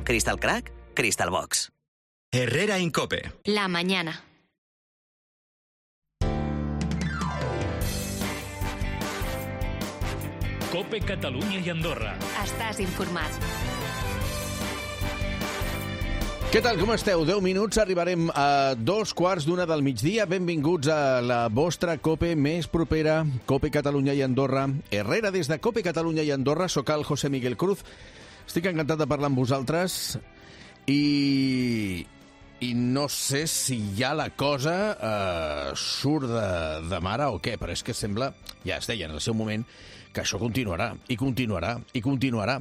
Crystal Crack, Crystal Box. Herrera Incope. La mañana. COPE Catalunya i Andorra. Estàs informat. Què tal, com esteu? 10 minuts, arribarem a 2:15 del migdia. Benvinguts a la vostra COPE més propera, COPE Catalunya i Andorra. Herrera des de COPE Catalunya i Andorra. Soc el José Miguel Cruz. Estic encantat de parlar amb vosaltres i no sé si ja la cosa surt de mare o què, però és que sembla, ja es deia en el seu moment, que això continuarà, i continuarà, i continuarà.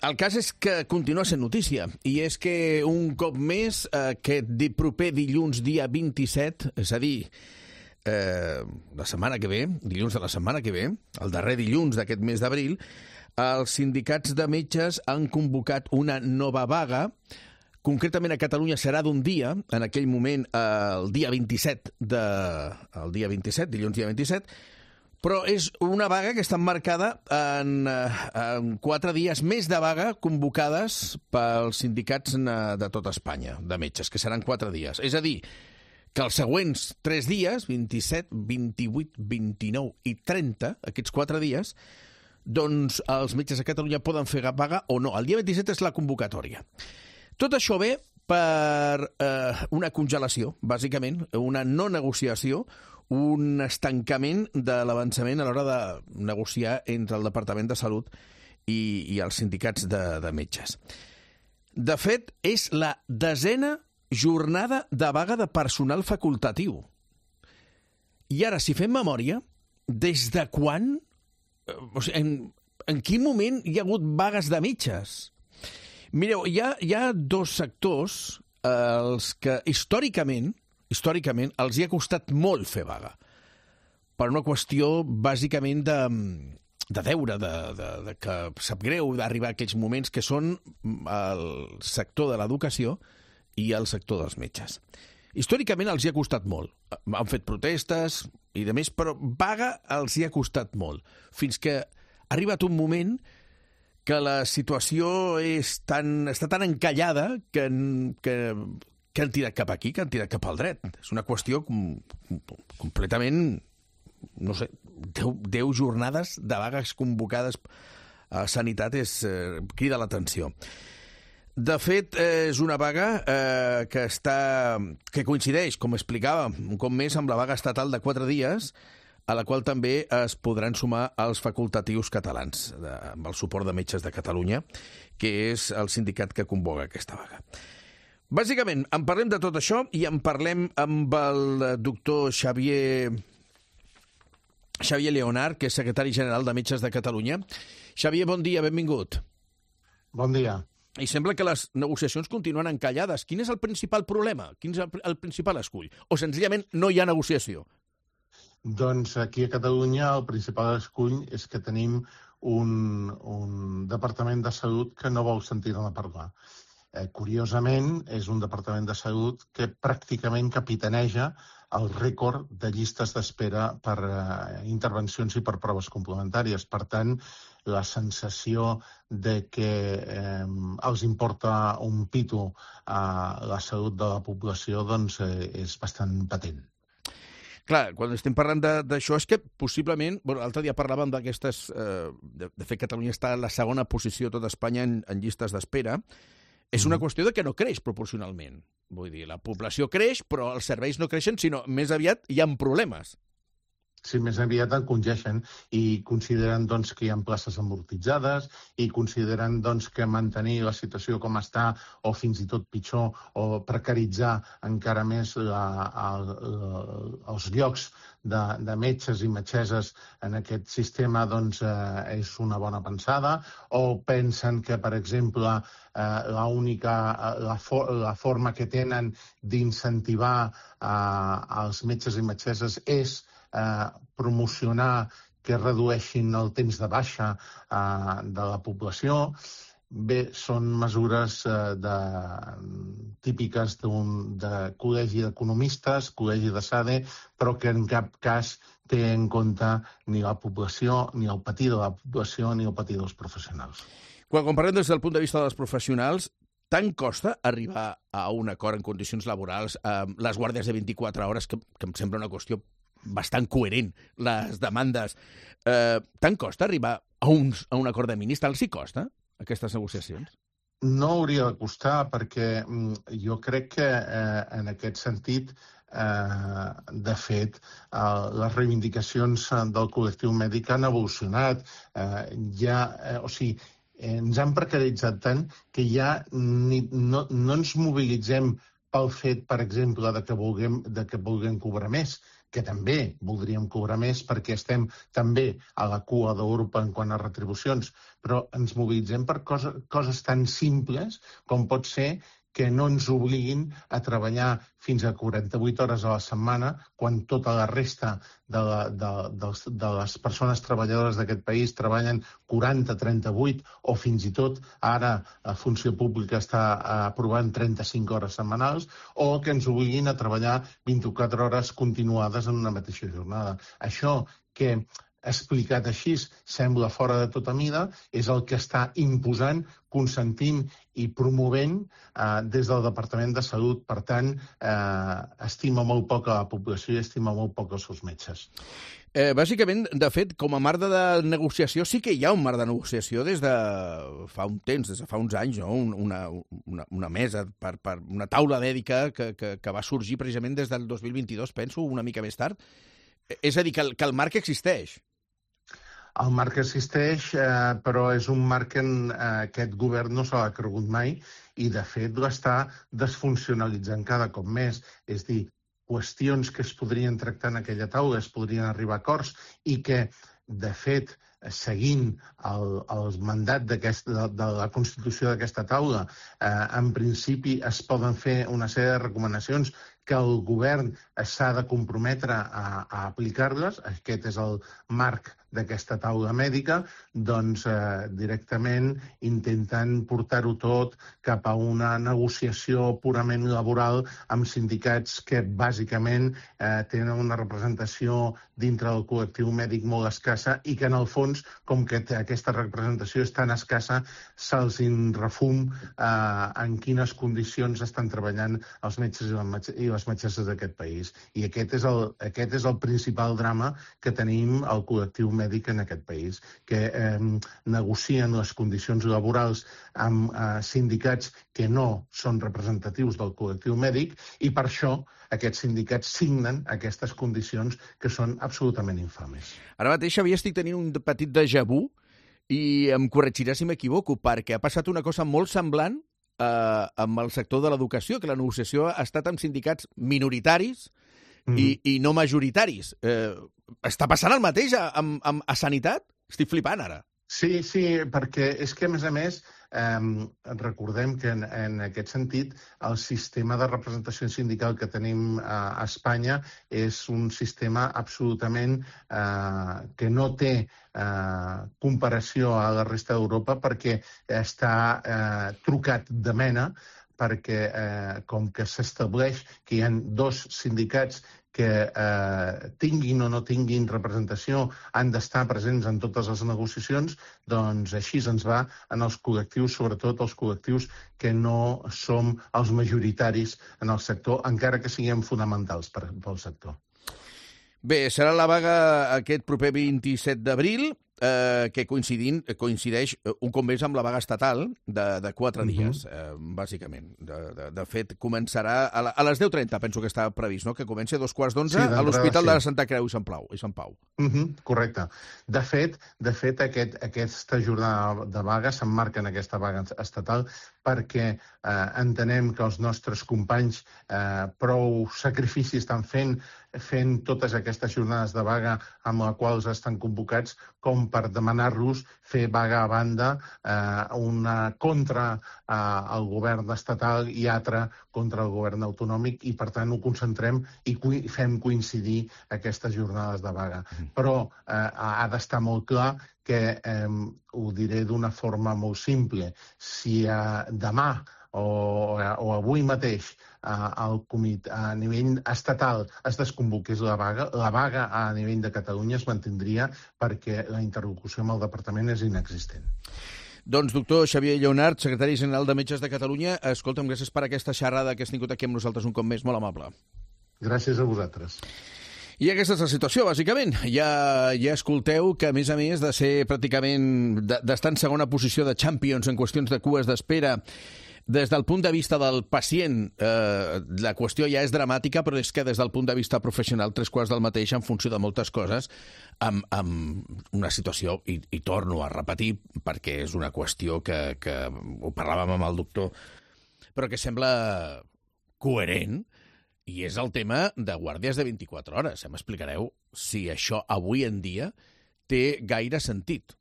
El cas és que continua sent notícia, i és que un cop més, aquest proper dilluns dia 27, és a dir, la setmana que ve, dilluns de la setmana que ve, el darrer dilluns d'aquest mes d'abril, els sindicats de metges han convocat una nova vaga. Concretament a Catalunya serà d'un dia, en aquell moment el dia 27, dilluns dia 27, però és una vaga que està emmarcada en 4 dies més de vaga convocades pels sindicats de tota Espanya, de metges, que seran 4 dies. És a dir, que els següents 3 dies, 27, 28, 29 i 30, aquests 4 dies, doncs els metges a Catalunya poden fer vaga o no. El dia 27 és la convocatòria. Tot això ve per una congelació, bàsicament, una no negociació, un estancament de l'avançament a l'hora de negociar entre el Departament de Salut i els sindicats de metges. De fet, és la 10a jornada de vaga de personal facultatiu. I ara, si fem memòria, des de quan, o sigui, en quin moment hi ha hagut vagues de metges? Mireu, hi ha 2 sectors els que històricament els hi ha costat molt fer vaga. Per una qüestió, bàsicament, de deure, de que sap greu d'arribar a aquells moments que són el sector de l'educació i el sector dels metges. Històricament els hi ha costat molt. Han fet protestes i de més, però vaga els hi ha costat molt. Fins que ha arribat un moment que la situació està tan encallada que han tirat cap aquí, que han tirat cap al dret. És una qüestió completament, no sé, 10 jornades de vagues convocades a Sanitat crida l'atenció. De fet, és una vaga que coincideix, com explicava, un cop més amb la vaga estatal de 4 dies, a la qual també es podran sumar els facultatius catalans, amb el suport de Metges de Catalunya, que és el sindicat que convoca aquesta vaga. Bàsicament, en parlem de tot això i en parlem amb el doctor Xavier Leonard, que és secretari general de Metges de Catalunya. Xavier, bon dia, benvingut. Bon dia. I sembla que les negociacions continuen encallades. Quin és el principal problema? Quin és el principal escull? O senzillament no hi ha negociació? Doncs aquí a Catalunya el principal escull és que tenim un departament de salut que no vol sentir-ne parlar. Curiosament, és un departament de salut que pràcticament capitaneja el rècord de llistes d'espera per intervencions i per proves complementàries. Per tant, la sensació de que els importa un pito a la salut de la població doncs, és bastant patent. Clar, quan estem parlant d'això és que possiblement, l'altre dia parlàvem d'aquestes, de fet Catalunya està en la segona posició a tot Espanya en llistes d'espera. És una qüestió de que no creix proporcionalment. Vull dir, la població creix, però els serveis no creixen, sinó més aviat hi ha problemes. Sí, més aviat en congeixen i consideren doncs, que hi ha places amortitzades i consideren doncs, que mantenir la situació com està o fins i tot pitjor o precaritzar encara més els llocs de metges i metgesses en aquest sistema doncs, és una bona pensada, o pensen que, per exemple, la forma que tenen d'incentivar els metges i metgesses és promocionar que redueixin el temps de baixa de la població. Bé, són mesures típiques de col·legi d'economistes, col·legi de SADE, però que en cap cas té en compte ni la població, ni el patir de la població, ni el patir dels professionals. Quan parlem des del punt de vista dels professionals, Tant costa arribar a un acord en condicions laborals, les guàrdies de 24 hores, que em sembla una qüestió bastant coherent, les demandes. Tant costa arribar a un acord de mínims? Tant els hi costa, aquestes negociacions? No hauria de costar, perquè jo crec que en aquest sentit, de fet, les reivindicacions del col·lectiu mèdic han evolucionat. Ens han precaritzat tant que ja no ens mobilitzem pel fet, per exemple, de que vulguem cobrar més, que també voldríem cobrar més perquè estem també a la cua d'Europa en quant a retribucions, però ens mobilitzem per coses tan simples com pot ser que no ens obliguin a treballar fins a 48 hores a la setmana quan tota la resta de les persones treballadores d'aquest país treballen 40, 38 o fins i tot ara la funció pública està aprovant 35 hores setmanals, o que ens obliguin a treballar 24 hores continuades en una mateixa jornada. Això que explicat així sembla fora de tota mida, és el que està imposant, consentint i promovent des del Departament de Salut. Per tant, estima molt poc a la població i estima molt poc als seus metges. Bàsicament, de fet, com a marc de negociació, sí que hi ha un marc de negociació des de fa un temps, des de fa uns anys, no? Una mesa, una taula mèdica que va sorgir precisament des del 2022, penso, una mica més tard. És a dir, que el marc existeix. El marc existeix, però és un marc que aquest govern no se l'ha cregut mai i, de fet, l'està desfuncionalitzant cada cop més. És dir, qüestions que es podrien tractar en aquella taula, es podrien arribar a acords i que, de fet, seguint el mandat de la Constitució d'aquesta taula, en principi es poden fer una sèrie de recomanacions que el govern s'ha de comprometre a aplicar-les. Aquest és el marc d'aquesta taula mèdica, doncs directament intentant portar-ho tot cap a una negociació purament laboral amb sindicats que bàsicament tenen una representació dintre del col·lectiu mèdic molt escassa i que en el fons, com que aquesta representació és tan escassa, se'ls refum en quines condicions estan treballant els metges i les metgesses d'aquest país. I aquest és el principal drama que tenim al col·lectiu mèdic en aquest país, que negocien les condicions laborals amb sindicats que no són representatius del col·lectiu mèdic i per això aquests sindicats signen aquestes condicions que són absolutament infames. Ara mateix, Xavier, estic tenint un petit déjà vu i em corregiràs si m'equivoco, perquè ha passat una cosa molt semblant amb el sector de l'educació, que la negociació ha estat amb sindicats minoritaris i no majoritaris. Està passant el mateix a Sanitat? Estic flipant ara. Sí, perquè és que, a més, recordem que en aquest sentit el sistema de representació sindical que tenim a Espanya és un sistema absolutament que no té comparació a la resta d'Europa perquè està trucat de mena, perquè com que s'estableix que hi ha dos sindicats que tinguin o no tinguin representació han d'estar presents en totes les negociacions, doncs així ens va en els col·lectius, sobretot els col·lectius que no som els majoritaris en el sector, encara que siguem fonamentals pel sector. Bé, serà la vaga aquest proper 27 d'abril, que coincideix un cop més amb la vaga estatal de 4 dies, bàsicament. De fet, començarà a les 10:30, penso que està previst, no? Que comenci a 11:15 a l'Hospital de la Santa Creu i Sant Pau. Correcte. De fet, aquesta jornada de vaga s'emmarca en aquesta vaga estatal perquè entenem que els nostres companys prou sacrifici estan fent totes aquestes jornades de vaga amb les quals estan convocats com per demanar-los fer vaga a banda, una contra el govern estatal i altra contra el govern autonòmic, i per tant ho concentrem i fem coincidir aquestes jornades de vaga. Però ha d'estar molt clar que, ho diré d'una forma molt simple, si demà o avui mateix a nivell estatal es desconvoqués la vaga a nivell de Catalunya es mantindria perquè la interlocució amb el departament és inexistent. Doncs, doctor Xavier Lleonart, secretari general de Metges de Catalunya, escolta'm, gràcies per aquesta xerrada que has tingut aquí amb nosaltres un cop més, molt amable. Gràcies a vosaltres. I aquesta és la situació, bàsicament. Ja escolteu que, a més, de ser pràcticament, d'estar en segona posició de Champions en qüestions de cues d'espera, des del punt de vista del pacient, la qüestió ja és dramàtica, però és que des del punt de vista professional, 3/4 del mateix en funció de moltes coses, amb una situació, i torno a repetir, perquè és una qüestió que ho parlàvem amb el doctor, però que sembla coherent, i és el tema de guàrdies de 24 hores. Ja m'explicareu si això avui en dia té gaire sentit.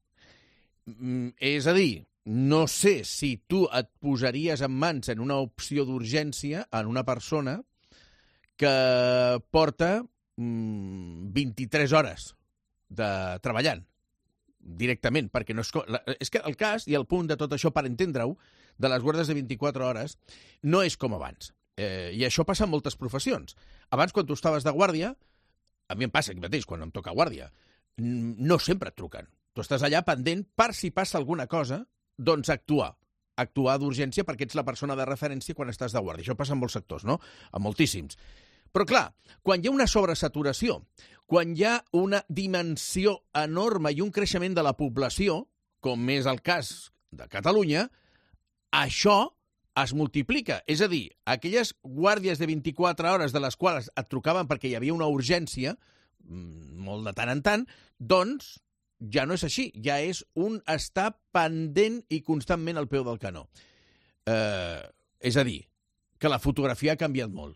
És a dir, no sé si tu et posaries en mans en una opció d'urgència en una persona que porta 23 hores treballant directament, perquè no és que el cas i el punt de tot això, per entendre-ho, de les guàrdies de 24 hores no és com abans. I això passa en moltes professions. Abans, quan tu estaves de guàrdia, a mi em passa aquí mateix, quan em toca guàrdia, no sempre et truquen. Tu estàs allà pendent per si passa alguna cosa, doncs actuar d'urgència perquè ets la persona de referència quan estàs de guàrdia. Això passa en molts sectors, no? En moltíssims. Però, clar, quan hi ha una sobresaturació, quan hi ha una dimensió enorme i un creixement de la població, com és el cas de Catalunya, això es multiplica. És a dir, aquelles guàrdies de 24 hores de les quals et trucaven perquè hi havia una urgència, molt de tant en tant, doncs ja no és així, ja és un estar pendent i constantment al peu del canó. És a dir, que la fotografia ha canviat molt.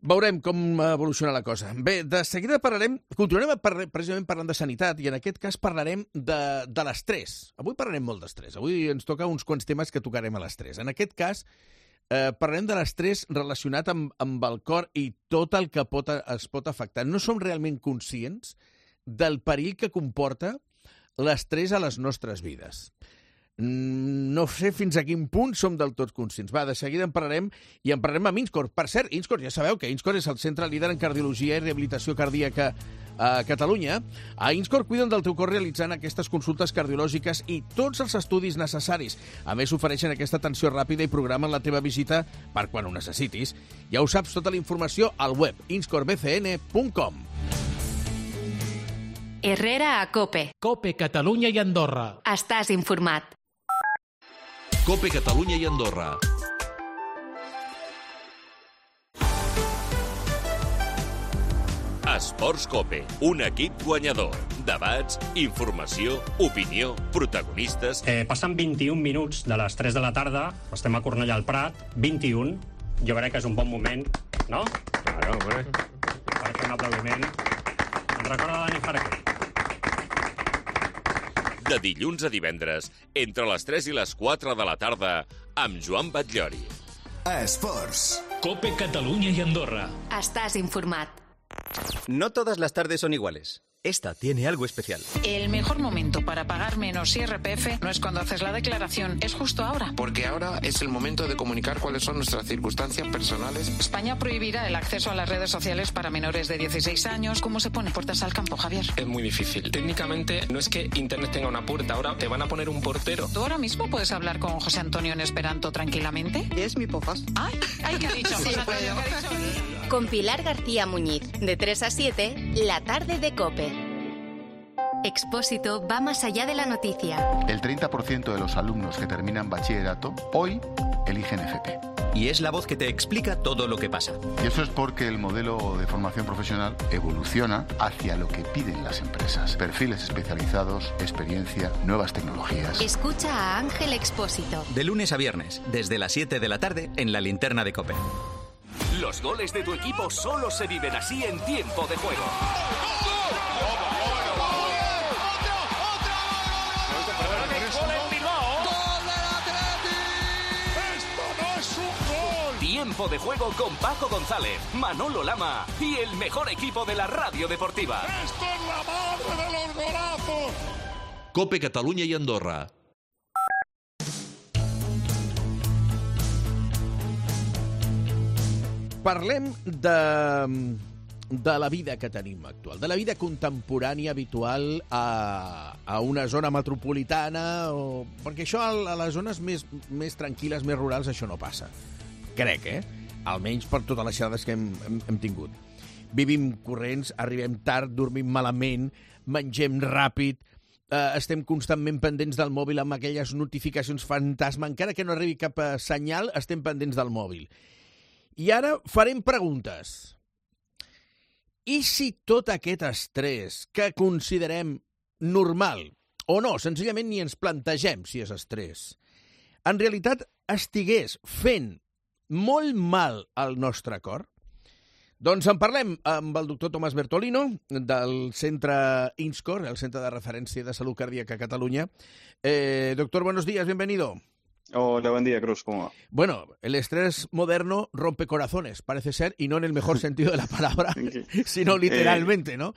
Veurem com evoluciona la cosa. Bé, de seguida continuarem precisament parlant de sanitat i en aquest cas parlarem de l'estrès. Avui parlarem molt d'estrès. Avui ens toca uns quants temes que tocarem a l'estrès. En aquest cas parlarem de l'estrès relacionat amb el cor i tot el que es pot afectar. No som realment conscients del perill que comporta l'estrès a les nostres vides. No sé fins a quin punt som del tot conscients. Va, de seguida en parlarem amb Inscor. Per cert, Inscor, ja sabeu que Inscor és el centre líder en cardiologia i rehabilitació cardíaca a Catalunya. A Inscor cuiden del teu cor realitzant aquestes consultes cardiològiques i tots els estudis necessaris. A més, ofereixen aquesta atenció ràpida i programen la teva visita per quan ho necessitis. Ja ho saps, tota la informació al web inscorbcn.com. Herrera a COPE. COPE Catalunya i Andorra. Estàs informat. COPE Catalunya i Andorra. Esports COPE, un equip guanyador. Debats, informació, opinió, protagonistes... Passen 21 minuts de les 3 de la tarda, estem a Cornellà al Prat, 21. Jo crec que és un bon moment, no? Claro, hombre. Per fer un aplaudiment. Ens recorda Dani Jarque. De dilluns a divendres, entre les 3 i les 4 de la tarda, amb Joan Batllori. Esports. COPE Catalunya y Andorra. Estás informat. No todas las tardes son iguales. Esta tiene algo especial. El mejor momento para pagar menos IRPF no es cuando haces la declaración, es justo ahora. Porque ahora es el momento de comunicar cuáles son nuestras circunstancias personales. España prohibirá el acceso a las redes sociales para menores de 16 años. ¿Cómo se pone puertas al campo, Javier? Es muy difícil. Técnicamente no es que Internet tenga una puerta, ahora te van a poner un portero. ¿Tú ahora mismo puedes hablar con José Antonio en esperanto tranquilamente? Es mi pofas. Ay, ¿qué ha dicho? Sí, José Antonio, ¿qué ha dicho? Con Pilar García Muñiz, de 3 a 7, la tarde de COPE. Expósito va más allá de la noticia. El 30% de los alumnos que terminan bachillerato hoy eligen FP. Y es la voz que te explica todo lo que pasa. Y eso es porque el modelo de formación profesional evoluciona hacia lo que piden las empresas. Perfiles especializados, experiencia, nuevas tecnologías. Escucha a Ángel Expósito. De lunes a viernes, desde las 7 de la tarde, en la linterna de COPE. Los goles de tu equipo solo se viven así en tiempo de juego. Tiempo de juego con Paco González, Manolo Lama y el mejor equipo de la radio deportiva. ¡Esto es la madre de los golazos! COPE Catalunya i Andorra. Parlem de la vida que tenim actual, de la vida contemporània habitual a una zona metropolitana, perquè això a les zones més tranquil·les, més rurals, això no passa. Crec, almenys per totes les xerrades que hem tingut. Vivim corrents, arribem tard, dormim malament, mengem ràpid, estem constantment pendents del mòbil amb aquelles notificacions fantasma, encara que no arribi cap senyal, estem pendents del mòbil. I ara farem preguntes. I si tot aquest estrès que considerem normal, o no, senzillament ni ens plantegem si és estrès, en realitat estigués fent molt mal al nostre cor? Doncs en parlem amb el doctor Tomàs Bertolino, del centre INSCOR, el Centre de Referència de Salud Cardíaca a Cataluña. Doctor, buenos días, bienvenido. Hola, buen día, Cruz, ¿cómo va? Bueno, el estrés moderno rompe corazones, parece ser, y no en el mejor sentido de la palabra, sino literalmente, ¿no?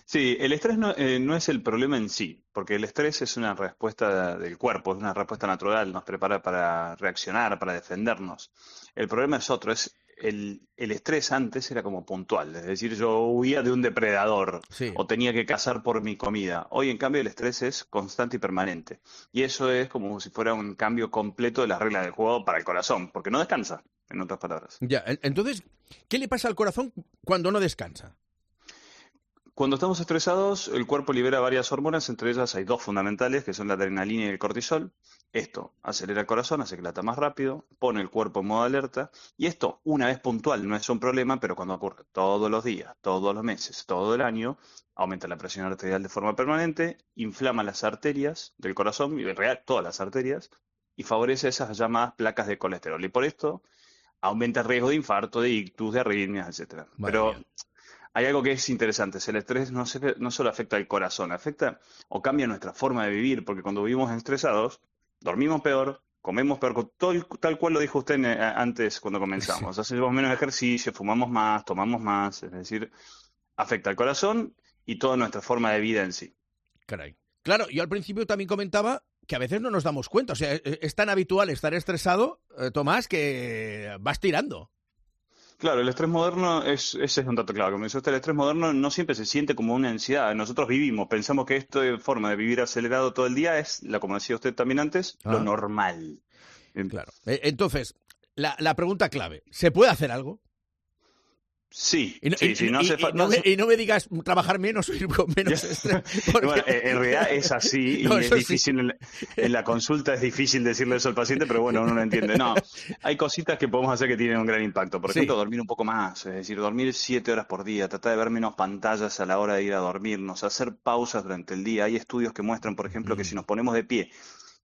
Sí, el estrés no es el problema en sí, porque el estrés es una respuesta del cuerpo, es una respuesta natural, nos prepara para reaccionar, para defendernos. El problema es otro, el estrés antes era como puntual, es decir, yo huía de un depredador o tenía que cazar por mi comida. Hoy, en cambio, el estrés es constante y permanente. Y eso es como si fuera un cambio completo de las reglas del juego para el corazón, porque no descansa, en otras palabras. Ya, entonces, ¿qué le pasa al corazón cuando no descansa? Cuando estamos estresados, el cuerpo libera varias hormonas, entre ellas hay dos fundamentales, que son la adrenalina y el cortisol. Esto acelera el corazón, hace que lata más rápido, pone el cuerpo en modo alerta, y esto, una vez puntual, no es un problema, pero cuando ocurre todos los días, todos los meses, todo el año, aumenta la presión arterial de forma permanente, inflama las arterias del corazón, y en realidad todas las arterias, y favorece esas llamadas placas de colesterol. Y por esto aumenta el riesgo de infarto, de ictus, de arritmias, etc. Pero hay algo que es interesante, el estrés no solo afecta al corazón, afecta o cambia nuestra forma de vivir, porque cuando vivimos estresados, dormimos peor, comemos peor, tal cual lo dijo usted antes cuando comenzamos. Hacemos menos ejercicio, fumamos más, tomamos más, es decir, afecta al corazón y toda nuestra forma de vida en sí. Caray. Claro, yo al principio también comentaba que a veces no nos damos cuenta, o sea, es tan habitual estar estresado, Tomás, que vas tirando. Claro, el estrés moderno, ese es un dato clave. Como dice usted, el estrés moderno no siempre se siente como una ansiedad. Nosotros pensamos que esta forma de vivir acelerado todo el día es, como decía usted también antes, lo normal. Claro. Entonces, la pregunta clave, ¿se puede hacer algo? Sí, y no me digas trabajar menos o ir con menos estrés. Porque... Bueno, en realidad es así y es difícil, en la consulta es difícil decirle eso al paciente, pero bueno, uno lo entiende. No, hay cositas que podemos hacer que tienen un gran impacto. Por ejemplo, dormir un poco más, es decir, dormir 7 horas por día, tratar de ver menos pantallas a la hora de ir a dormirnos, hacer pausas durante el día. Hay estudios que muestran, por ejemplo, que si nos ponemos de pie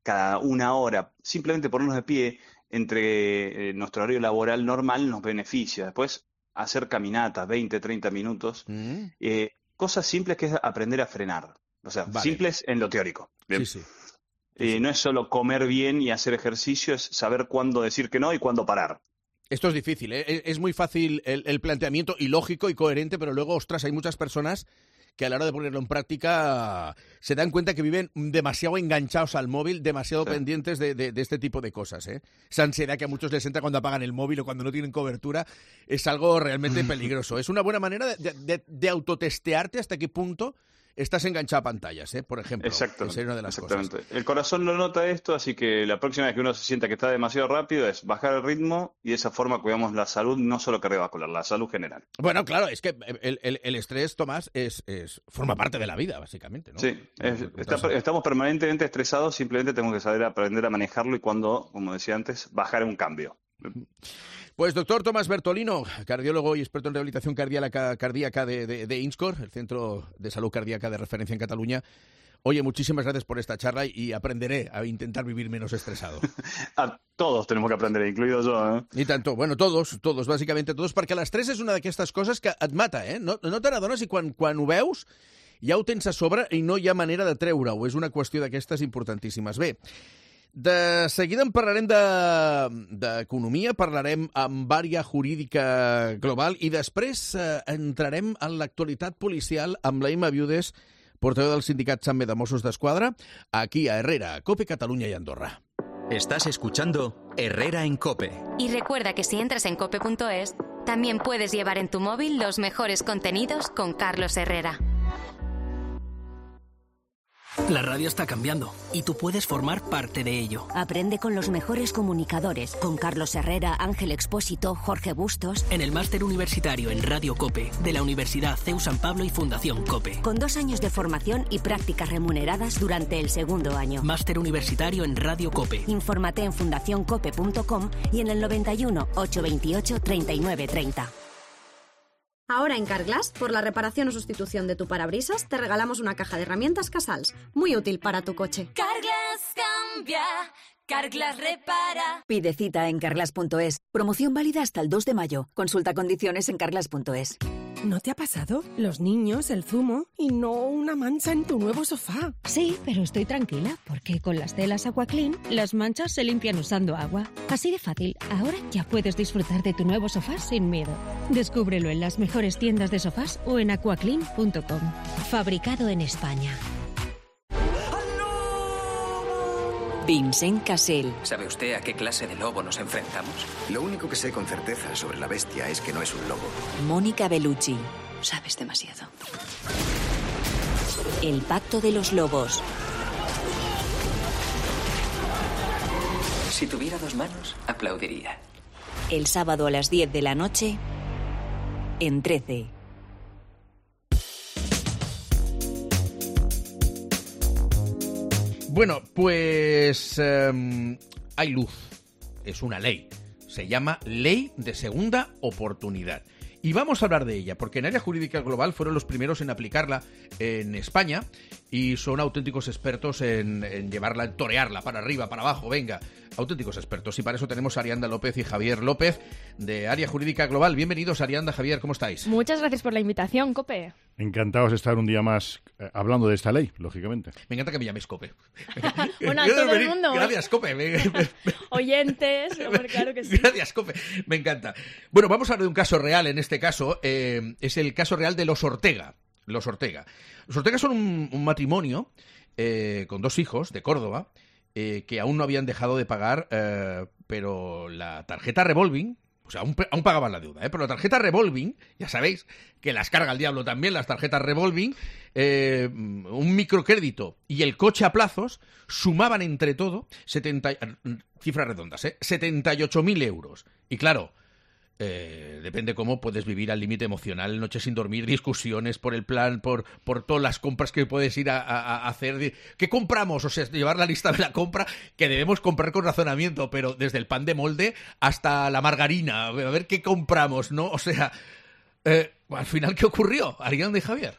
cada una hora, simplemente ponernos de pie entre nuestro horario laboral normal nos beneficia. Después, hacer caminatas, 20, 30 minutos, cosas simples que es aprender a frenar, o sea, simples en lo teórico. Bien. Sí. No es solo comer bien y hacer ejercicio, es saber cuándo decir que no y cuándo parar. Esto es difícil, es muy fácil el planteamiento y lógico y coherente, pero luego, ostras, hay muchas personas que a la hora de ponerlo en práctica se dan cuenta que viven demasiado enganchados al móvil, demasiado pendientes de este tipo de cosas. Esa ansiedad que a muchos les entra cuando apagan el móvil o cuando no tienen cobertura es algo realmente peligroso. Es una buena manera de autotestearte hasta qué punto estás enganchado a pantallas, por ejemplo. Exacto. Es una de las cosas. El corazón no nota esto, así que la próxima vez que uno se sienta que está demasiado rápido es bajar el ritmo y de esa forma cuidamos la salud, no solo cardiovascular, la salud general. Bueno, claro, es que el estrés, Tomás, forma parte de la vida, básicamente, ¿no? Sí, estamos permanentemente estresados, simplemente tenemos que saber aprender a manejarlo y cuando, como decía antes, bajar un cambio. Pues doctor Tomás Bertolino, cardiólogo y experto en rehabilitación cardíaca de INSCOR, el Centro de Salud Cardíaca de Referencia en Cataluña. Oye, muchísimas gracias por esta charla y aprenderé a intentar vivir menos estresado. A todos tenemos que aprender, incluido yo. I tant, bueno, todos, bàsicament todos, perquè l'estrès és una d'aquestes coses que et mata, No te n'adones i quan ho veus ja ho tens a sobre i no hi ha manera de treure-ho. És una qüestió d'aquestes importantíssimes. Bé, de seguida en parlarem d'economia, parlarem amb àrea jurídica global i després entrarem en l'actualitat policial amb la Imma Viudes, portaveu del sindicat SAME de Mossos d'Esquadra, aquí a Herrera, COPE, Cataluña y Andorra. Estás escuchando Herrera en COPE. Y recuerda que si entras en cope.es, También puedes llevar en tu móvil los mejores contenidos con Carlos Herrera. La radio está cambiando y tú puedes formar parte de ello. Aprende con los mejores comunicadores, con Carlos Herrera, Ángel Expósito, Jorge Bustos. En el máster universitario en Radio COPE de la Universidad CEU San Pablo y Fundación COPE. Con 2 años de formación y prácticas remuneradas durante el 2º año. Máster universitario en Radio COPE. Infórmate en fundacioncope.com y en el 91 828 3930. Ahora en Carglass, por la reparación o sustitución de tu parabrisas, te regalamos una caja de herramientas Casals, muy útil para tu coche. Carglass cambia, Carglass repara. Pide cita en carglass.es. Promoción válida hasta el 2 de mayo. Consulta condiciones en carglass.es. ¿No te ha pasado? Los niños, el zumo y no una mancha en tu nuevo sofá. Sí, pero estoy tranquila porque con las telas Aquaclean las manchas se limpian usando agua. Así de fácil, ahora ya puedes disfrutar de tu nuevo sofá sin miedo. Descúbrelo en las mejores tiendas de sofás o en aquaclean.com. Fabricado en España. Vincent Cassel. ¿Sabe usted a qué clase de lobo nos enfrentamos? Lo único que sé con certeza sobre la bestia es que no es un lobo. Mónica Bellucci. Sabes demasiado. El pacto de los lobos. Si tuviera 2 manos, aplaudiría. El sábado a las 10 de la noche en 13. Bueno, pues hay luz. Es una ley. Se llama Ley de Segunda Oportunidad. Y vamos a hablar de ella, porque en Área Jurídica Global fueron los primeros en aplicarla en España y son auténticos expertos en llevarla, en torearla para arriba, para abajo, venga, auténticos expertos. Y para eso tenemos a Arianda López y Javier López de Área Jurídica Global. Bienvenidos, Arianda, Javier, ¿cómo estáis? Muchas gracias por la invitación, Cope. Encantados de estar un día más hablando de esta ley, lógicamente. Me encanta que me llaméis Cope. Bueno, a todo el mundo. Gracias, Cope. Oyentes, claro que sí. Gracias, Cope. Me encanta. Bueno, vamos a hablar de un caso real. En este caso es el caso real de los Ortega. Los Ortega. Los Ortega son un matrimonio con 2 hijos de Córdoba que aún no habían dejado de pagar, pero la tarjeta revolving, o sea, aún pagaban la deuda, pero la tarjeta revolving, ya sabéis que las carga el diablo también, las tarjetas revolving, un microcrédito y el coche a plazos sumaban entre todo cifras redondas, 78.000 euros. Y claro, depende cómo puedes vivir al límite emocional, noches sin dormir, discusiones por el plan, por todas las compras que puedes ir a hacer. ¿Qué compramos? O sea, llevar la lista de la compra que debemos comprar con razonamiento, pero desde el pan de molde hasta la margarina, a ver qué compramos, ¿no? O sea, al final, ¿qué ocurrió, Arianda y Javier?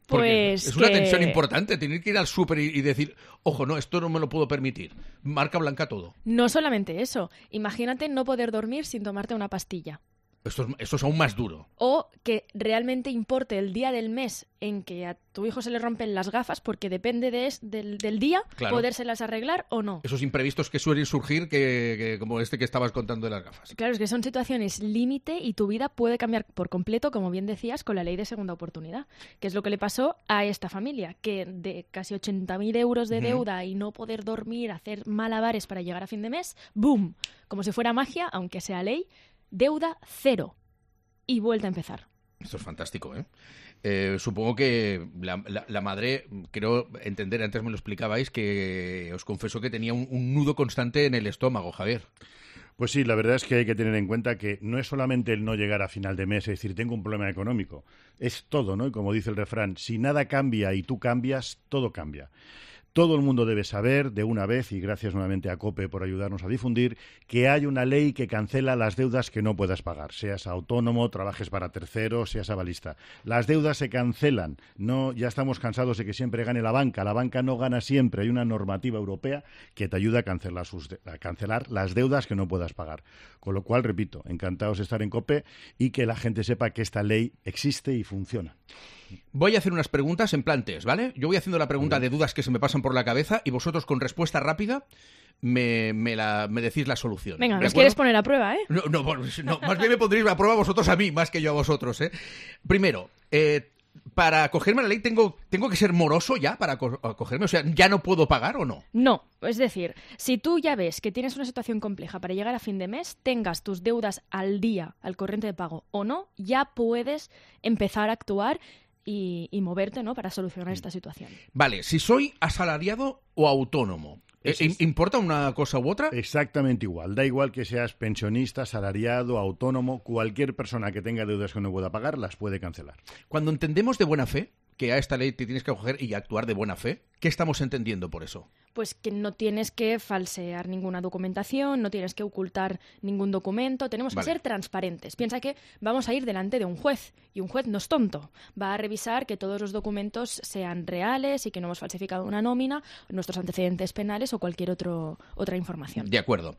Porque pues es una tensión importante, tener que ir al súper y decir, ojo, no, esto no me lo puedo permitir. Marca blanca todo. No solamente eso. Imagínate no poder dormir sin tomarte una pastilla. Esto es aún más duro. O que realmente importe el día del mes en que a tu hijo se le rompen las gafas, porque depende del día, claro, podérselas arreglar o no. Esos imprevistos que suelen surgir, que como este que estabas contando de las gafas. Claro, es que son situaciones límite y tu vida puede cambiar por completo, como bien decías, con la ley de segunda oportunidad, que es lo que le pasó a esta familia, que de casi 80.000 euros de deuda y no poder dormir, hacer malabares para llegar a fin de mes, ¡boom! Como si fuera magia, aunque sea ley, deuda 0 y vuelta a empezar. Esto es fantástico, supongo que la madre, creo entender, antes me lo explicabais, que os confieso que tenía un nudo constante en el estómago, Javier. Pues sí, la verdad es que hay que tener en cuenta que no es solamente el no llegar a final de mes, es decir, tengo un problema económico, es todo, ¿no? Y como dice el refrán, si nada cambia y tú cambias, todo cambia. Todo el mundo debe saber de una vez, y gracias nuevamente a COPE por ayudarnos a difundir, que hay una ley que cancela las deudas que no puedas pagar. Seas autónomo, trabajes para terceros, seas avalista. Las deudas se cancelan. No, ya estamos cansados de que siempre gane la banca. La banca no gana siempre. Hay una normativa europea que te ayuda a cancelar las deudas que no puedas pagar. Con lo cual, repito, encantados de estar en COPE y que la gente sepa que esta ley existe y funciona. Voy a hacer unas preguntas en plan test, ¿vale? Yo voy haciendo la pregunta de dudas que se me pasan por la cabeza y vosotros con respuesta rápida me decís la solución. Venga, nos quieres poner a prueba, ¿eh? No, más bien me pondréis a prueba vosotros a mí, más que yo a vosotros, ¿eh? Primero, para acogerme a la ley tengo que ser moroso ya para acogerme, o sea, ¿ya no puedo pagar o no? No, es decir, si tú ya ves que tienes una situación compleja para llegar a fin de mes, tengas tus deudas al día, al corriente de pago o no, ya puedes empezar a actuar y moverte, ¿no?, para solucionar esta situación. Vale, si soy asalariado o autónomo, ¿importa una cosa u otra? Exactamente igual. Da igual que seas pensionista, asalariado, autónomo, cualquier persona que tenga deudas que no pueda pagar las puede cancelar. Cuando entendemos de buena fe que a esta ley te tienes que acoger y actuar de buena fe, ¿qué estamos entendiendo por eso? Pues que no tienes que falsear ninguna documentación, no tienes que ocultar ningún documento, tenemos que ser transparentes. Piensa que vamos a ir delante de un juez, y un juez no es tonto. Va a revisar que todos los documentos sean reales y que no hemos falsificado una nómina, nuestros antecedentes penales o cualquier otra información. De acuerdo.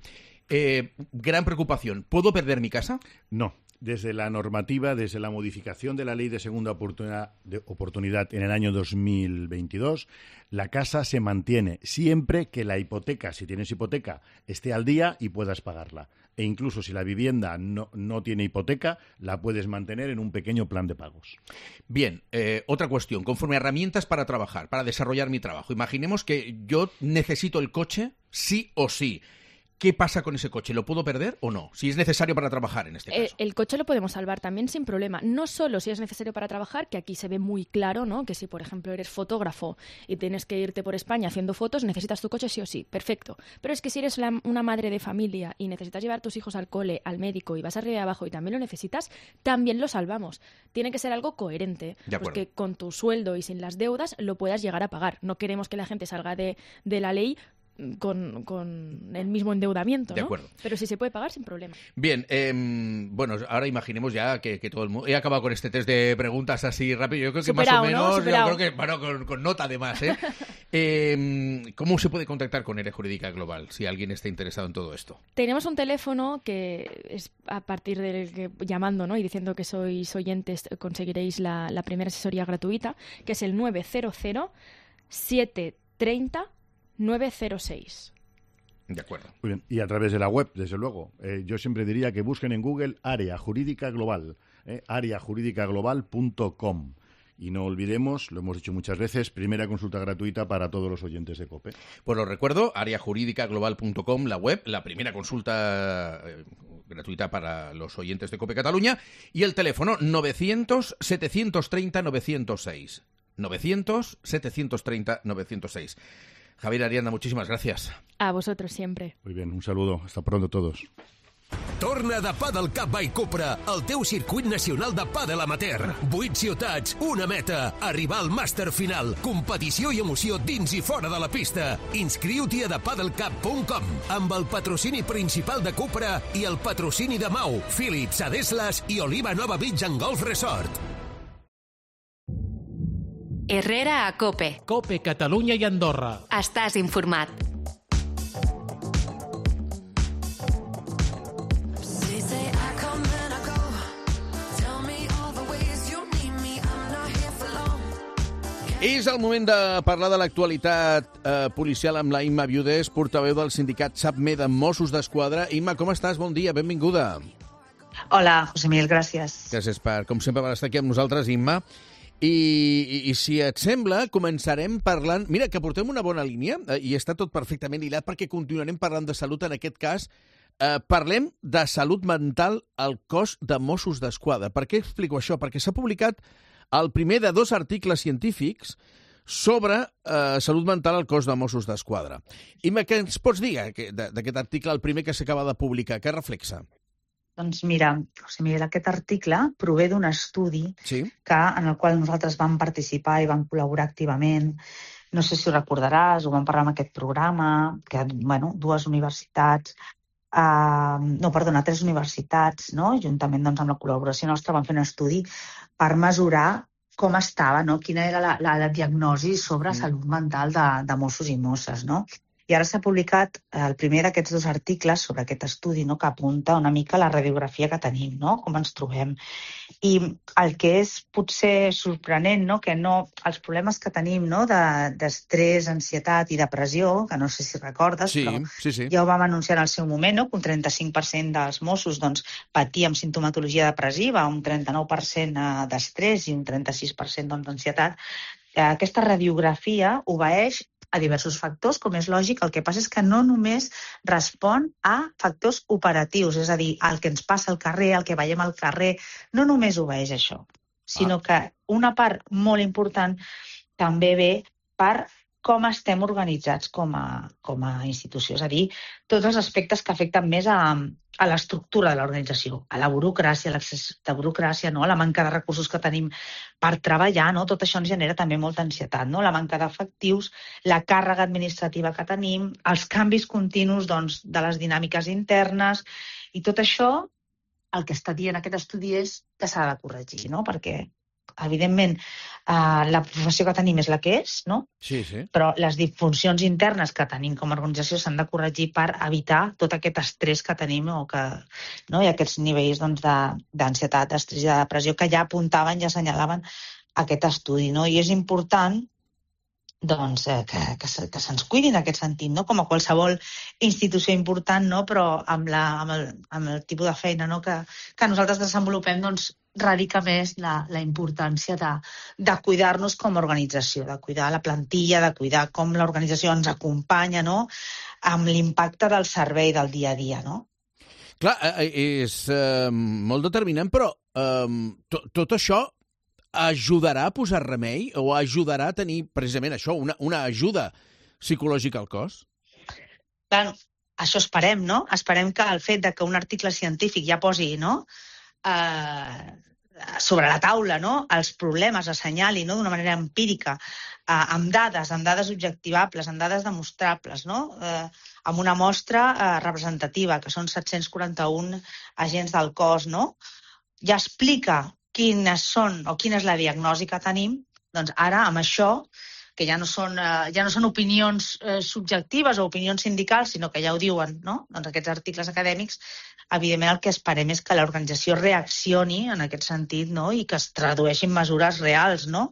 Gran preocupación. ¿Puedo perder mi casa? No. Desde la normativa, desde la modificación de la Ley de Segunda Oportunidad en el año 2022, la casa se mantiene siempre que la hipoteca, si tienes hipoteca, esté al día y puedas pagarla. E incluso si la vivienda no tiene hipoteca, la puedes mantener en un pequeño plan de pagos. Bien, otra cuestión. Conforme a herramientas para trabajar, para desarrollar mi trabajo. Imaginemos que yo necesito el coche sí o sí. ¿Qué pasa con ese coche? ¿Lo puedo perder o no? Si es necesario para trabajar, en este caso. El coche lo podemos salvar también sin problema. No solo si es necesario para trabajar, que aquí se ve muy claro, ¿no?, que si, por ejemplo, eres fotógrafo y tienes que irte por España haciendo fotos, necesitas tu coche sí o sí. Perfecto. Pero es que si eres una madre de familia y necesitas llevar a tus hijos al cole, al médico, y vas arriba y abajo y también lo necesitas, también lo salvamos. Tiene que ser algo coherente. Pues que con tu sueldo y sin las deudas lo puedas llegar a pagar. No queremos que la gente salga de la ley con el mismo endeudamiento, ¿no? De acuerdo. Pero si se puede pagar, sin problema. Bien, bueno, ahora imaginemos ya que todo el mundo... He acabado con este test de preguntas así rápido. Yo creo que superado, más o menos... ¿no? Superado. Yo creo que, bueno, con nota además, ¿eh? ¿Cómo se puede contactar con ERE Jurídica Global si alguien está interesado en todo esto? Tenemos un teléfono que es a partir del que llamando, ¿no?, y diciendo que sois oyentes conseguiréis la primera asesoría gratuita, que es el 900 730 906. De acuerdo. Muy bien. Y a través de la web, desde luego. Yo siempre diría que busquen en Google Área Jurídica Global, areajurídicaglobal.com. Y no olvidemos, lo hemos dicho muchas veces, primera consulta gratuita para todos los oyentes de COPE. Pues lo recuerdo, areajurídicaglobal.com, la web, la primera consulta gratuita para los oyentes de COPE Cataluña, y el teléfono 900 730 906. 900 730 906. Javier Arianda, muchísimas gracias. A vosotros siempre. Muy bien, un saludo. Hasta pronto todos. Torna de Padel Cup by Cupra, el teu circuit nacional de pàdel amateur. 8 ciutats, una meta, arribar al màster final, competició i emoció dins i fora de la pista. Inscriu-t'hi a thepadelcup.com amb el patrocini principal de Cupra i el patrocini de Mau, Philips, Adeslas i Oliva Nova Beach and Golf Resort. Herrera a COPE. COPE Catalunya i Andorra. Estàs informat. És el moment de parlar de l'actualitat policial amb la Imma Viudes, portaveu del sindicat SAPME de Mossos d'Esquadra. Imma, com estàs? Bon dia, benvinguda. Hola, José Miguel, gràcies. Gràcies com sempre, per estar aquí amb nosaltres, Imma. I si et sembla, començarem parlant... Mira, que portem una bona línia i està tot perfectament hilat perquè continuarem parlant de salut en aquest cas. Parlem de salut mental al cos de Mossos d'Esquadra. Per què explico això? Perquè s'ha publicat el primer de 2 articles científics sobre salut mental al cos de Mossos d'Esquadra. Imma, què ens pots dir d'aquest article, el primer que s'acaba de publicar? Què reflexa? Doncs mira, José Miguel, aquest article prové d'un estudi en el qual nosaltres vam participar i vam col·laborar activament. No sé si ho recordaràs, ho vam parlar en aquest programa, que, bueno, 3 universitats, juntament amb la col·laboració nostra, vam fer un estudi per mesurar com estava, quina era la diagnosi sobre salut mental de Mossos i Mosses, no? I ara s'ha publicat el primer d'aquests 2 articles sobre aquest estudi, no?, que apunta una mica la radiografia que tenim, no?, com ens trobem. I el que és potser sorprenent, no?, que no, els problemes que tenim, no?, d'estrès, ansietat i depressió, que no sé si recordes, sí, però sí. Ja ho vam anunciar en el seu moment, no?, que un 35% dels Mossos doncs, patia amb simptomatologia depressiva, un 39% d'estrès i un 36% d'ansietat. Aquesta radiografia obeeix a diversos factors, com és lògic. El que passa és que no només respon a factors operatius, és a dir, el que ens passa al carrer, el que veiem al carrer, no només obeeix a això, sinó que una part molt important també ve per com estem organitzats com a institució, és a dir, tots els aspectes que afecten més a l'estructura de l'organització, a la burocràcia, a l'accés de burocràcia, no?, a la manca de recursos que tenim per treballar, no? Tot això ens genera també molta ansietat, no?, la manca d'efectius, la càrrega administrativa que tenim, els canvis continus doncs, de les dinàmiques internes, i tot això, el que està dient aquest estudi és que s'ha de corregir, no?, perquè evidentment, la professió que tenim és la que és, no? Sí. Però les disfuncions internes que tenim com a organització s'han de corregir per evitar tot aquest estrès que tenim no? I aquests nivells doncs, d'ansietat, d'estrès i de depressió que ja apuntaven, ja assenyalaven aquest estudi. No? I és important doncs, que se'ns cuidi en aquest sentit, no? Com a qualsevol institució important, no? Però amb el tipus de feina no? que nosaltres desenvolupem, doncs, radica més la importància de cuidar-nos com a organització, de cuidar la plantilla, de cuidar com l'organització ens acompanya, no? Amb l'impacte del servei del dia a dia, no? Clar, és molt determinant, però tot això ajudarà a posar remei o ajudarà a tenir precisament això, una ajuda psicològica al cos? Clar, això esperem, no? Esperem que el fet de que un article científic ja posi, no?, sobre la taula, no?, els problemes, assenyali, no?, d'una manera empírica, amb dades objectivables, amb dades demostrables, no?, amb una mostra representativa, que són 741 agents del cos, no?, ja explica quines són o quina és la diagnosi que tenim, doncs ara amb això, que ja no són opinions subjectives o opinions sindicals, sinó que ja ho diuen, no? Doncs aquests articles acadèmics, evidentment el que esperem és que l'organització reaccioni en aquest sentit, no? I que es tradueixin mesures reals, no?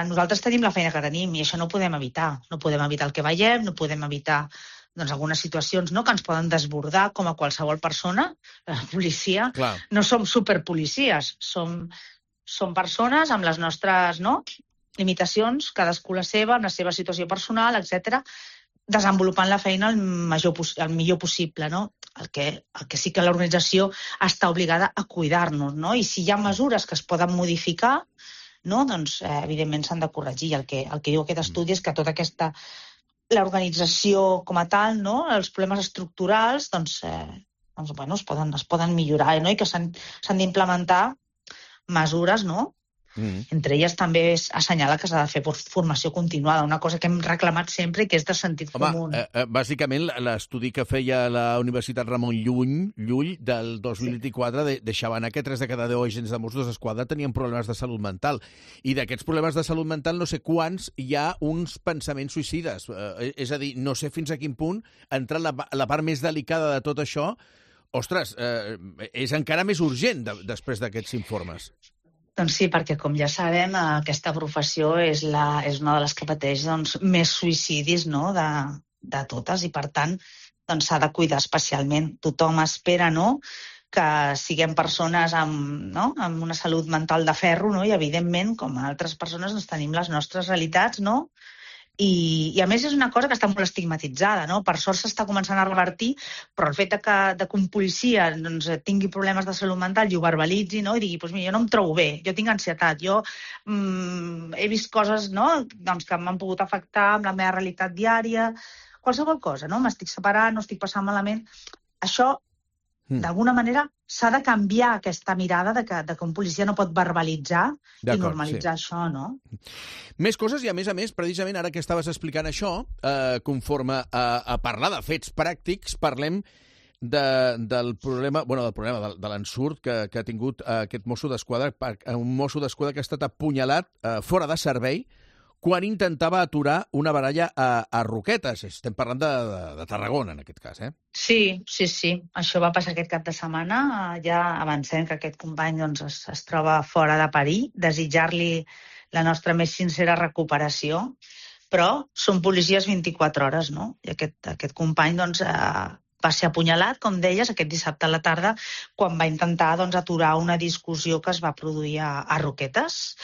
Nosaltres tenim la feina que tenim i això no ho podem evitar. No podem evitar el que veiem, no podem evitar doncs, algunes situacions no? Que ens poden desbordar com a qualsevol persona, policia. Clar. No som superpolicies, som persones amb les nostres limitacions, cadascú la seva, amb la seva situació personal, etc, desenvolupant la feina el millor possible. No? El que sí que l'organització està obligada a cuidar-nos. No? I si hi ha mesures que es poden modificar, no? Doncs, evidentment s'han de corregir. El que diu aquest estudi és que tota aquesta l'organització com a tal, no? Els problemes estructurals doncs, es poden millorar, no? I que s'han d'implementar mesures, no? Entre elles també assenyala que s'ha de fer formació continuada, una cosa que hem reclamat sempre i que és de sentit comú. Bàsicament, l'estudi que feia la Universitat Ramon Llull del 2024 deixava anar que 3 de cada 10 agents de Mossos d'Esquadra tenien problemes de salut mental. I d'aquests problemes de salut mental no sé quants hi ha uns pensaments suïcides. És a dir, no sé fins a quin punt entrar la part més delicada de tot això. Ostres, és encara més urgent després d'aquests informes. Doncs sí, perquè com ja sabem, aquesta professió és una de les que pateix més suïcidis de totes i per tant s'ha de cuidar especialment. Tothom espera que siguem persones amb una salut mental de ferro i evidentment com a altres persones tenim les nostres realitats i a més és una cosa que està molt estigmatitzada. Per sort s'està començant a revertir, però el fet que un policia tingui problemes de salut mental i ho verbalitzi i digui, mira, jo no em trobo bé, jo tinc ansietat, jo he vist coses que m'han pogut afectar amb la meva realitat diària, qualsevol cosa, m'estic separant, no estic passant malament. Això, d'alguna manera, s'ha de canviar aquesta mirada de que un policia no pot verbalitzar i normalitzar això, no? Més coses i, a més, precisament ara que estaves explicant això, conforme a parlar de fets pràctics, parlem del problema, de l'ensurt que ha tingut aquest mosso d'esquadra, un mosso d'esquadra que ha estat apunyalat fora de servei quan intentava aturar una baralla a Roquetes. Estem parlant de Tarragona, en aquest cas, eh? Sí. Això va passar aquest cap de setmana. Ja avancem que aquest company es troba fora de perill. Desitjar-li la nostra més sincera recuperació. Però són policies 24 hores, no? I aquest company va ser apunyalat, com deies, aquest dissabte a la tarda, quan va intentar aturar una discussió que es va produir a Roquetes.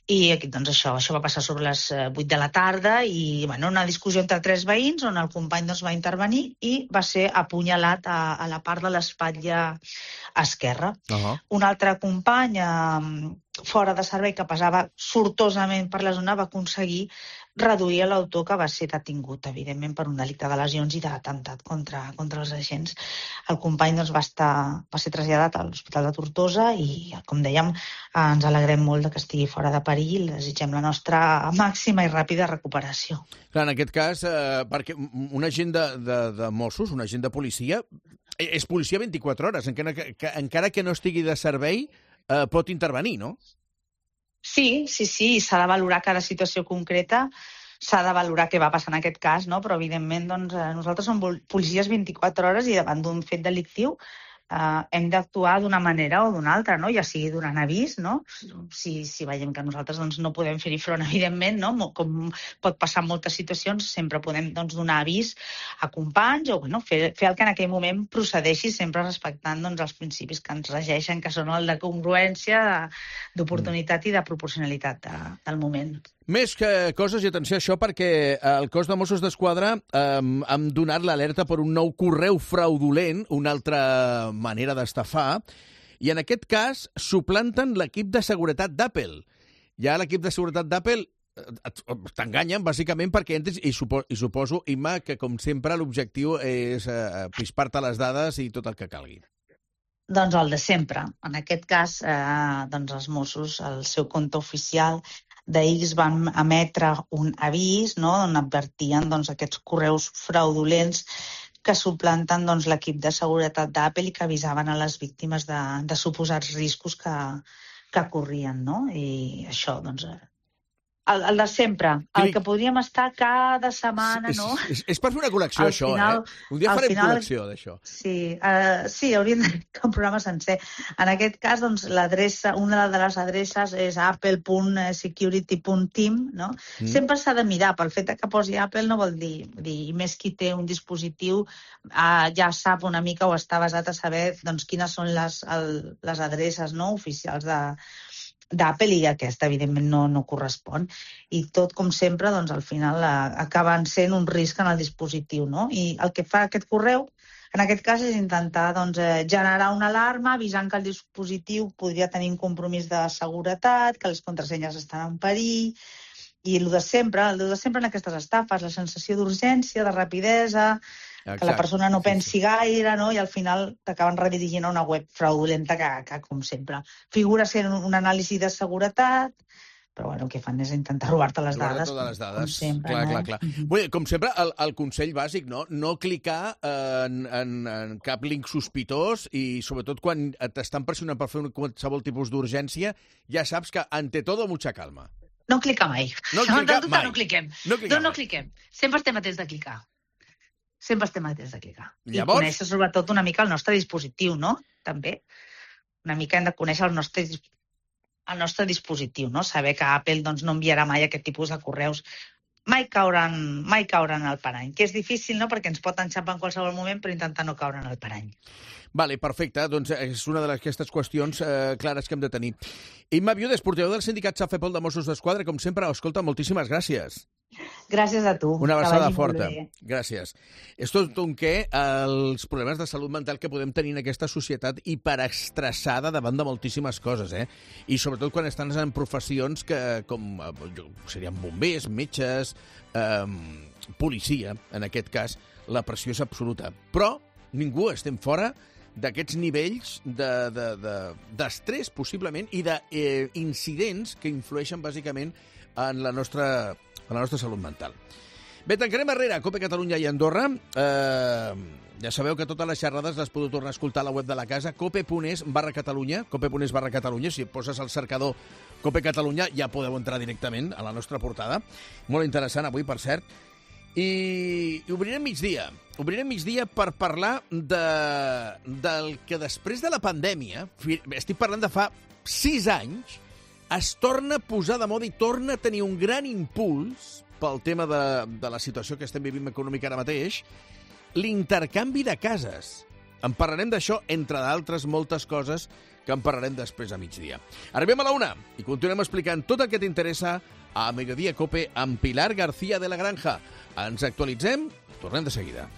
I això va passar sobre les 8 de la tarda i una discussió entre 3 veïns on el company va intervenir i va ser apunyalat a la part de l'espatlla esquerra. Un altre company fora de servei que passava sortosament per la zona va aconseguir reduir l'autor que va ser detingut, evidentment, per un delicte de lesions i d'atemptat contra els agents. El company va ser traslladat a l'Hospital de Tortosa i, com dèiem, ens alegrem molt que estigui fora de perill i desitgem la nostra màxima i ràpida recuperació. Clar, en aquest cas, perquè un agent de Mossos, un agent de policia, és policia 24 hores, encara que no estigui de servei, pot intervenir, no? Sí, s'ha de valorar cada situació concreta, s'ha de valorar què va passar en aquest cas, no? Però evidentment nosaltres som policies 24 hores i davant d'un fet delictiu hem d'actuar d'una manera o d'una altra, no? Ja sigui donant avís, no? Si veiem que nosaltres no podem fer-hi front, evidentment, no? Com pot passar en moltes situacions, sempre podem donar avís a companys o fer el que en aquell moment procedeixi, sempre respectant els principis que ens regeixen, que són el de congruència, d'oportunitat i de proporcionalitat del moment. Més que coses, i atenció a això, perquè el cos de Mossos d'Esquadra hem donat l'alerta per un nou correu fraudulent, una altra manera d'estafar, i en aquest cas suplanten l'equip de seguretat d'Apple. Ja l'equip de seguretat d'Apple t'enganyen, bàsicament, perquè entres, i suposo, Imma, que com sempre l'objectiu és pispar-te les dades i tot el que calgui. Doncs el de sempre. En aquest cas, els Mossos, el seu compte oficial d'X van emetre un avís, no?, on advertien aquests correus fraudulents que suplanten l'equip de seguretat d'Apple i que avisaven a les víctimes de suposats riscos que corrien, no? I això, el de sempre, el que podríem estar cada setmana, no? És per fer una col·lecció, això, Un dia farem col·lecció d'això. Sí, hauríem de fer un programa sencer. En aquest cas, l'adreça, una de les adreces és apple.security.team, no? Sempre s'ha de mirar, pel fet que posi Apple no vol dir, i més qui té un dispositiu ja sap una mica o està basat a saber quines són les adreces oficials d'Apple i aquesta, evidentment, no correspon. I tot, com sempre, al final acaben sent un risc en el dispositiu, no? I el que fa aquest correu, en aquest cas, és intentar generar una alarma avisant que el dispositiu podria tenir un compromís de seguretat, que les contrasenyes estan en perill, i el de sempre en aquestes estafes, la sensació d'urgència, de rapidesa, que la persona no pensi gaire, no? I al final t'acaben redirigint a una web fraudulenta que, com sempre, figura sent un anàlisi de seguretat, però el que fan és intentar robar-te les dades. Com sempre. Clar. Com sempre, el consell bàsic, no clicar en cap link sospitós i, sobretot, quan t'estan pressionant per fer qualsevol tipus d'urgència, ja saps que, ante todo, mucha calma. No clicar mai. No cliquem. No cliquem. Sempre estem atents de clicar. I conèixer, sobretot, una mica el nostre dispositiu, no? També. Una mica hem de conèixer el nostre dispositiu, no? Saber que Apple no enviarà mai aquest tipus de correus. Mai cauran al parany, que és difícil, no?, perquè ens pot enxampar en qualsevol moment, però intentar no caure en el parany. Vale, perfecte. Doncs és una d'aquestes qüestions clares que hem de tenir. Imma Viudes, portaveu del sindicat SAFEPOL de Mossos d'Esquadra, com sempre, escolta, moltíssimes gràcies. Gràcies a tu. Una abraçada forta. Gràcies. És tot un què els problemes de salut mental que podem tenir en aquesta societat hiperestressada davant de moltíssimes coses, I sobretot quan estan en professions que, com serien bombers, metges, policia, en aquest cas, la pressió és absoluta. Però ningú estem fora d'aquests nivells d'estrès, possiblement, i d'incidents que influeixen, bàsicament, en la nostra salut mental. Bé, tancarem arrere Cope Catalunya i Andorra. Ja sabeu que totes les xerrades les podeu tornar a escoltar a la web de la casa, cope.es/Catalunya, cope.es/Catalunya. Si poses al cercador Cope Catalunya ja podeu entrar directament a la nostra portada. Molt interessant avui, per cert. I obrirem migdia. Obrirem migdia per parlar del que després de la pandèmia, estic parlant de fa 6 anys, es torna a posar de moda i torna a tenir un gran impuls pel tema de la situació que estem vivint econòmica ara mateix, l'intercanvi de cases. En parlarem d'això, entre d'altres moltes coses que en parlarem després a migdia. Arribem a la 1 i continuem explicant tot el que t'interessa a Mediodía Cope amb Pilar García de la Granja. Ens actualitzem, tornem de seguida.